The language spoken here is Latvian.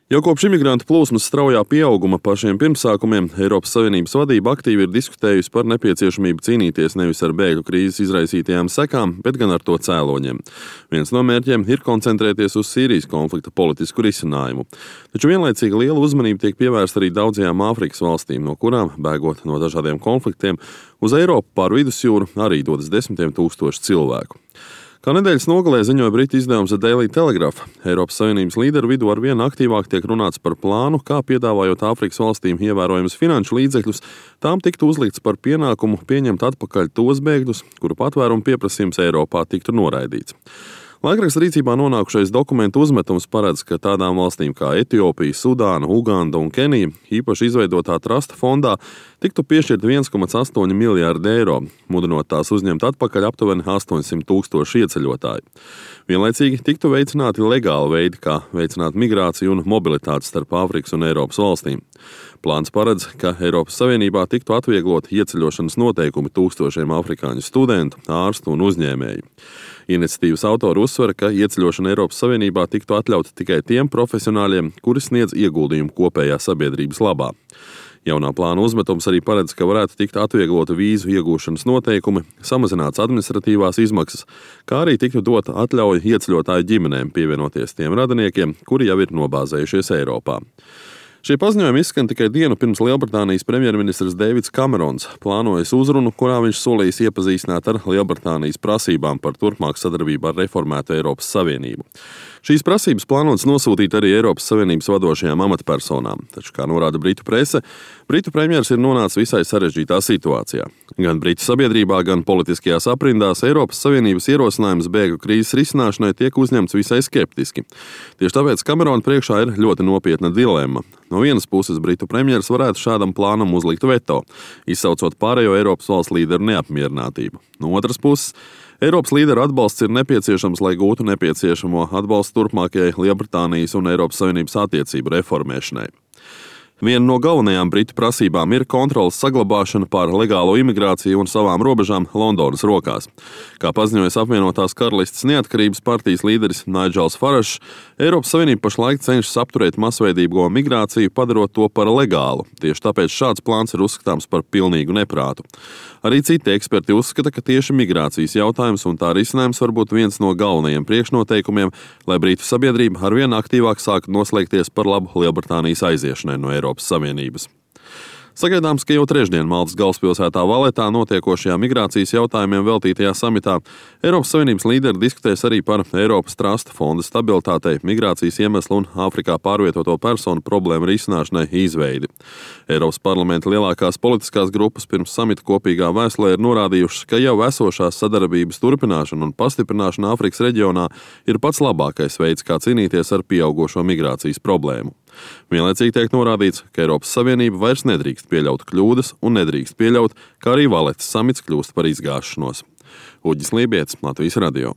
Jau kopš imigrantu plūsmas straujā pieauguma pašiem pirmsākumiem Eiropas Savienības vadība aktīvi ir diskutējusi par nepieciešamību cīnīties nevis ar bēgļu krīzes izraisītajām sekām, bet gan ar to cēloņiem. Viens no mērķiem ir koncentrēties uz Sīrijas konflikta politisku risinājumu. Taču vienlaicīgi liela uzmanība tiek pievērsta arī daudzajām Āfrikas valstīm, no kurām, bēgot no dažādiem konfliktiem, uz Eiropu pār vidusjūru arī dodas desmitiem tūkstoši cilvēku. Kā nedēļas nogalē ziņoja britu izdevums The Daily Telegraph, Eiropas Savienības līderu vidū arvien aktīvāk tiek runāts par plānu, kā piedāvājot Āfrikas valstīm ievērojamus finanšu līdzekļus, tām tiktu uzlikts par pienākumu pieņemt atpakaļ tos bēgļus, kuru patvērumu pieprasījums Eiropā tiktu noraidīts. Laikraksta rīcībā nonākušais dokumentu uzmetums paredz, ka tādām valstīm kā Etiopija, Sudāna, Uganda un Kenija īpaši izveidotā trusta fondā tiktu piešķirt 1,8 miljārdi eiro, mudinot tās uzņemt atpakaļ aptuveni 800 tūkstoši ieceļotāju. Vienlaicīgi tiktu veicināti legāli veidi, kā veicināt migrāciju un mobilitāti starp Āfrikas un Eiropas valstīm. Plāns paredz, ka Eiropas Savienībā tiktu atvieglot ieceļošanas noteikumi tūkstošiem afrikāņu studentu, ārstu un uzņēmēju. Iniciatīvas autori uzsver, ka ieceļošana Eiropas Savienībā tiktu atļauta tikai tiem profesionāļiem, kuri sniedz ieguldījumu kopējā sabiedrības labā. Jaunā plāna uzmetums arī paredz, ka varētu tikt atvieglota vīzu iegūšanas noteikumi, samazināts administratīvās izmaksas, kā arī tiktu dota atļauja ieceļotāju ģimenēm pievienoties tiem radiniekiem, kuri jau ir nobāzējušies Eiropā. Šie paziņojumi izskan tikai dienu pirms Lielbritānijas premjerministrs Deivids Kamerons plānojas uzrunu, kurā viņš solījis iepazīstināt ar Lielbritānijas prasībām par turpmāku sadarbību ar reformētu Eiropas Savienību. Šīs prasības plānotas nosūtīt arī Eiropas Savienības vadošajām amatpersonām, taču, kā norāda britu prese, britu premjers ir nonācis visai sarežģītā situācijā. Gan britu sabiedrībā, gan politiskajās aprindās Eiropas Savienības ierosinājums bēgļu krīzes risināšanai tiek uzņemts visai skeptiski. Tieši tāpēc Kamerona priekšā ir ļoti nopietna dilemma. No vienas puses britu premjers varētu šādam plānam uzlikt veto, izsaucot pārējo Eiropas valsts līderu neapmierinātību. No otras puses, Eiropas līderu atbalsts ir nepieciešams, lai gūtu nepieciešamo atbalstu turpmākajai Lielbritānijas un Eiropas Savienības attiecību reformēšanai. Viena no galvenajām britu prasībām ir kontroles saglabāšana pār legālo imigrāciju un savām robežām Londonas rokās. Kā paziņojas apvienotās karalistes neatkarības partijas līderis Nigels Farages, Eiropas Savienība pašlaik cenšas apturēt masveidīgo migrāciju, padarot to par legālu. Tieši tāpēc šāds plāns ir uzskatāms par pilnīgu neprātu. Arī citi eksperti uzskata, ka tieši migrācijas jautājums un tā risinājums var būt viens no galvenajiem priekšnoteikumiem, lai britu sabiedrība arvien aktīvāk sāktu noslēgties par labu Lielbritānijas aiziešanai no Eiropas Savienības. Sagaidāms, ka jau trešdien Maltas galvaspilsētā Valetā notiekošajā migrācijas jautājumiem veltītajā samitā Eiropas Savienības līderi diskutēs arī par Eiropas trusta fonda stabilitātei, migrācijas iemeslu un Āfrikā pārvietoto personu problēmu risināšanai izveidi. Eiropas parlamenta lielākās politiskās grupas pirms samita kopīgā vēstulē ir norādījušas, ka jau esošās sadarbības turpināšana un pastiprināšana Āfrikas reģionā ir pats labākais veids, kā cīnīties ar pieaugošo migrācijas problēmu. Vienlaicīgi tiek norādīts, ka Eiropas Savienība vairs nedrīkst pieļaut kļūdas un nedrīkst pieļaut, ka arī Valetas samits kļūst par izgāšanos. Uģis Lībietis, Latvijas radio.